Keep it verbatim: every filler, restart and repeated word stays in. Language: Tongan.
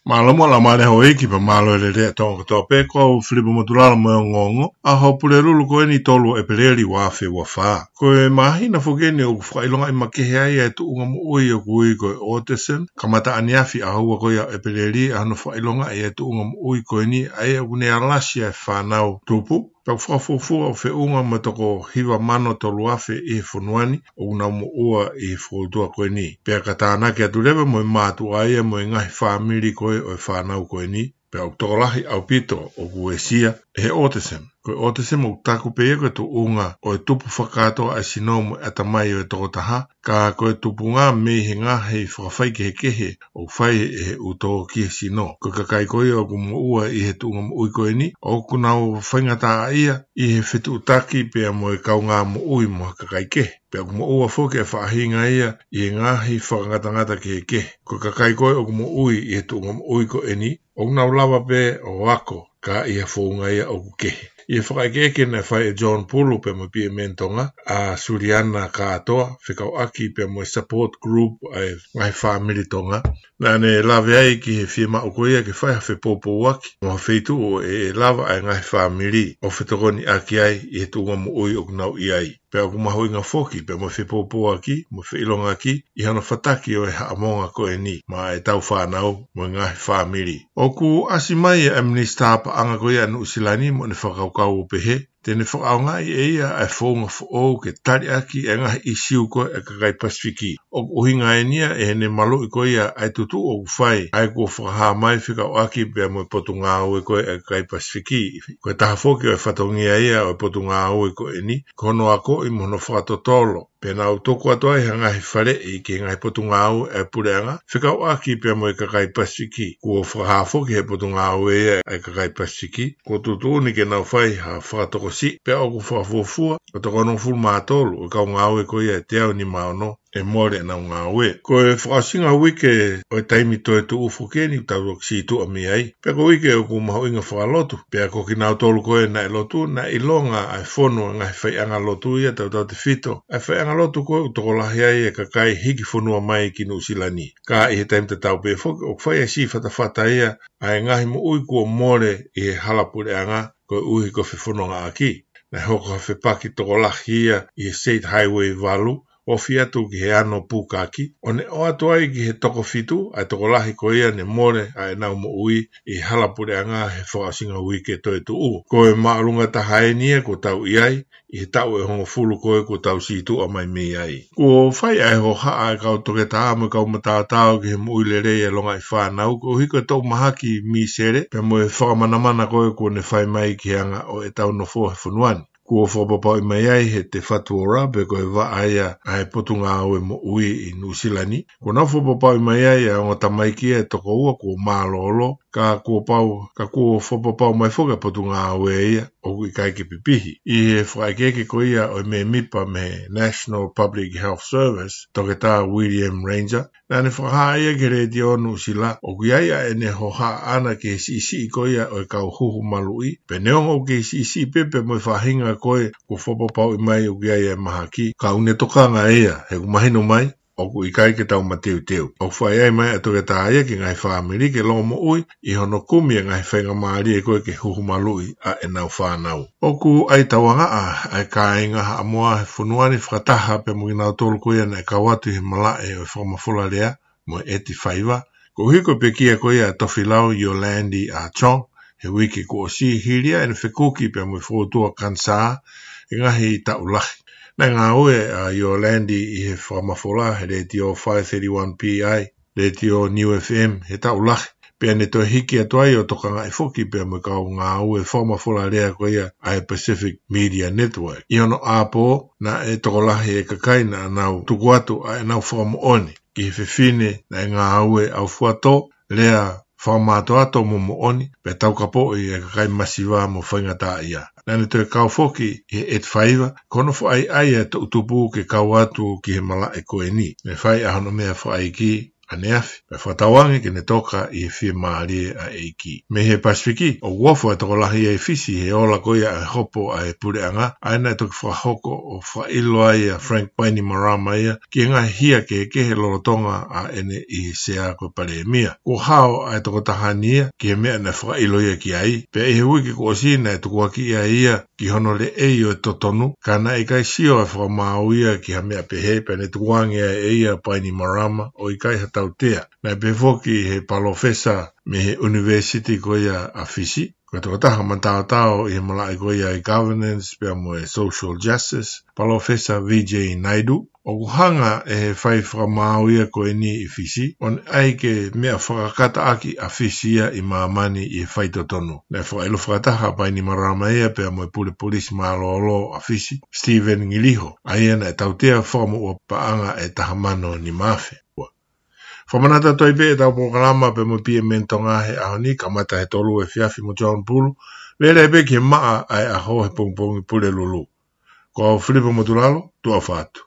Mālō mo e laumālie houʻeiki pea mālō e lelei ʻa Tonga kotoa pē, ko au Filipa Motulala mo e ongoongo ʻa e Pulelulu ko eni, tolu ʻEpeleli ua afe ua fā. Ko e māhina foki eni ʻoku fakaʻilongaʻi makehe ai e tuʻunga moʻui ʻoku ui ko e autism, kamata ʻaneafi ʻaho ua ko ia ʻo ʻEpeleli ʻa hono fakaʻilongaʻi e tuʻunga moʻui ko eni, ʻa ia ʻoku ne alasi ai e fānau tupu, pea ʻoku fakafuofua ʻo feʻunga mo e toko hiva mano tolu afe ʻi he fonua ni ʻoku nau moʻua ʻi he fokoutua ko eni. Pea ka tānaki atu leva mo e mātuʻa ia mo e ngaahi fāmili ko ē ʻo e fānau ko eni, pea ʻoku tokolahi ʻaupito ʻoku uesia ʻe he autism. Ko e autism ʻoku taku pē ia ko e tuʻunga ʻo e tupu fakakātoa ʻa e sino mo e ʻatamai ʻo e tokotaha, ka ko e tupunga mei he ngaahi fakafaikehekehe ʻoku fai ʻe he uto ki he sino. Ko e kakai ko ia ʻoku moʻua ʻi he tuʻunga moʻui ko eni, ʻoku nau faingataʻaʻia ʻi he fetuʻutaki pea mo e kaungā moʻui mo ha kakai kehe. Pea ʻoku moʻua foki e faʻahinga ia ʻi he ngaahi fakangatangata kehekehe. Ko e kakai ko ē ʻoku moʻui ʻi he tuʻunga moʻui ko eni, ʻoku nau lava pē ʻo ako, ka ʻi ha founga ia ʻoku kehe. ʻI he fakaʻekeʻeke naʻe fai ʻe John Pulu pea mo e P M N Tonga, ʻa Suliana Kātoa, fekauʻaki pea mo e support group ʻa e ngaahi fāmili Tonga, naʻa ne lave ai ki he fiemaʻu ko ia ke fai ha fepoupouaki mo ha feituʻu ʻe lava ʻa e ngaahi fāmili ʻo fetokoniʻaki ai ʻi he tuʻunga moʻui ʻoku nau ʻi ai. Pea ʻoku mahuʻinga foki pea mo e fepoupouaki mo e feʻilongaki ʻi hono fataki ʻo e haʻamonga ko eni maʻa ʻetau fānau mo e ngaahi fāmili. ʻOku ʻasi mai ʻa e Minisitā Paʻanga ko ia ʻa Nuʻusila ni mo ʻene fakakaukau ʻo pehē te ne fakaʻaongaʻi ʻe ia ʻa e founga foʻou ke tali ʻaki e ngaahi ʻīsiu ko ē ʻa e kakai Pasifiki. ʻOku ʻuhinga eni ia ʻi heʻene maluʻi ko ia ʻa e tutuʻu ʻoku fai ʻa ia kuo fakahā mai fekauʻaki pea mo e Potungāue ko ē ʻa e kakai Pasifiki. Ko e taha foki ʻo e fatongia ia ʻo e Potungāue ko eni, ko hono akoʻi mo hono fakatotolo. Pea nau tuku atu ai ha ngaahi faleʻi ki he ngaahi potungāue ʻa e puleʻanga, fekauʻaki pea mo e kakai Pasifiki. Kuo fakahā foki ʻe he Potungāue ia ʻa e kakai Pasifiki kuo tuʻutuʻuni ke nau fai ha fakatokosiʻi, pea ʻoku fakafuofua ʻo e toko onongofulu mā tolu ʻo e kau ngāue ko ia ʻe teau nima ono ʻe mole ʻenau ngāue. Ko e fakaʻosinga uike ʻo e taimi toetuʻu foki eni ʻoku tau toki sītuʻa mei ai. Pea ko e uike ʻoku mahuʻinga fakalotu. Pea ko kinautolu ko ē naʻe lotu, naʻe ʻilonga ʻa e fonu ʻa e ngaahi faiʻanga lotu ia tautautefito ʻa e faiʻanga lotu ko ē ʻoku tokolahi ai e kakai hiki fonua mai ki Nuʻusila ni. Ka ʻi he taimi tatau pē foki, ʻoku fai e siʻi fatafata ia ʻa e ngaahi moʻui kuo mole ʻi he hala puleʻanga koeʻuhi ko e fefonongaʻaki. Naʻe hoko ha fepaki tokolahi ia ʻi he State Highway valu, ofi atu ki he ano pukaki, ʻo ne ʻoatu ai ki he toko fitu ʻa e tokolahi ko ia ne mole ʻa ʻenau moʻui ʻi he hala puleʻanga he fakaʻosinga uike toetuʻu. Ko e māʻolunga taha eni ia kuo tau ʻi ai ʻi he taʻu ʻe hongofulu ko ē kuo tau sītuʻa mai mei ai. Kuo fai ʻa e hohaʻa ʻa e kau toketā mo e kau mataotao ki he moʻui lelei ʻa e longaʻi fānau, koeʻuhi ko e toʻu mahaki misele pea mo e fakamanamana ko ē kuo ne fai mai ki he anga ʻo ʻetau nofo he fonua ni. Kuo fakapapauʻi mai ai ʻe he Te Whatu Ora, pe ko e vaʻa ia ʻa e Potungāue Moʻui ʻi Nuʻusila ni, kuo nau fakapapauʻi mai ai ʻa e ongo tamaiki ʻe toko ua kuo mālōlō, ka kuo pau, ka kuo fakapapau mai foki ʻa e Potungāue ia ʻoku ʻikai ke pipihi. ʻI he fakaʻekeʻeke ko ia ʻo e mēmipa mei he National Public Health Service, Toketā William Ranger, naʻa ne fakahā ia ki he Letiō Nuʻusila ʻoku ʻi ai ʻa ʻene hohaʻa ʻana ki he siʻisiʻi ko ia ʻo e kau huhu maluʻi, pea neongo ʻoku kei siʻisiʻi pē pea mo e faʻahinga ko ē kuo fakapapauʻi mai ʻoku ʻi ai e mahaki, ka ʻoku ne tokanga ia, he ʻoku mahino mai ʻoku ʻikai ke tau mateuteu. ʻOku fai ai mai ʻa e toketā ia ki he ngaahi fāmili ke longomoʻui ʻi hono kumi e ngaahi faingamālie ko ē ke huhu maluʻi ʻa ʻenau fānau. ʻOku ʻai tauangaʻa ʻa e kāinga Haʻamoa he fonua ni fakataha pea mo kinautolu ko ia naʻe kau atu ʻi he malaʻe ʻo e fakamafola lea mo e ʻeti faiva, koeʻuhi ko e pekia ko ia ʻa Tofilau Yolandi ʻa Chong he uike kuo ʻosi, hili ia ʻene fekuki pea mo e fokoutua kanisā he ngaahi taʻu lahi. Naʻe ngāue ʻa Yolandi ʻi he fakamafola he Letiō five thirty-one P I, Letiō Niu F M he taʻu lahi, pea ne toe hiki atu ai ʻo tokangaʻi foki pea mo e kau ngāue fakamafola lea ko ia ʻa e Pacific Media Network. ʻI hono ʻapō, naʻe tokolahi e kakai naʻa nau tuku atu ʻa ʻenau fakamoʻoni ki he fefine naʻe ngāue ʻaufuatō, lea fakamātoato mo moʻoni, pea taukapoʻi e kakai masiva mo faingataʻaʻia. Naʻa ne toe kau foki ʻi he ʻeti faiva, ko hono fakaʻaiʻai e toʻu tupu ke kau atu ki he malaʻe ko eni. Ne fai ʻa hono meʻa fakaʻeiki ʻaneafi, pea fakatauange ke ne toka ʻi he fiemālie ʻa e ʻEiki. Mei he Pasifiki, ʻoku ofo e tokolahi ʻa Fisi he ola ko ia ʻa e hopo ʻa e puleʻanga, ʻa ia naʻe toki fakahoko ʻo fakaʻilo ai ʻa Frank Bainimarama ia ki he ngaahi hia kehekehe lolotonga ʻa ʻene ʻi he sea ko e palēmia. Kuo hao ʻa e tokotaha ni ia ki he meʻa naʻe fakaʻilo ia ki ai, pea ʻi he uike kuo ʻosi naʻe tukuakiʻi ai ia ki hono leʻei ʻo e totonu, ka naʻe ʻikai sio ʻa e fakamaau ia ki ha meʻa pehē, pea ne tukuange ai ʻe ia ʻa Bainimarama ʻo ʻikai ha tautea. Naʻe pehē foki ʻe he palōfesa mei he ʻunivēsiti ko ia ʻa Fisi, ko e tokotaha mataotao ʻi he malaʻe ko ia ʻa e governance pea mo e social justice, Palōfesa V J Naidu, ʻoku hanga ʻe he fai fakamaau ia ko eni ʻi Fisi ʻo ne ʻai ke meʻa fakakātaki ʻa Fisi ia ʻi māmani ʻi he faitotonu. Naʻe fakaʻilo fakataha ʻa Bainimarama ia pea mo e pule polisi mālōlō ʻa Fisi, Stephen Ngiliho, ʻa ia naʻe tautea fakamoʻua paʻanga ʻe taha mano nima afe. Fakamanatu atu ai pē ʻetau polokalama pea mo e P M N Tonga he ʻaho ni, kamata he tolu efiafi mo John Pulu, lele ai pē ki he maʻa ʻa e ʻaho he pongipongi Pulelulu. Ko au Filipa Motulalo, tuʻa ʻofa atu.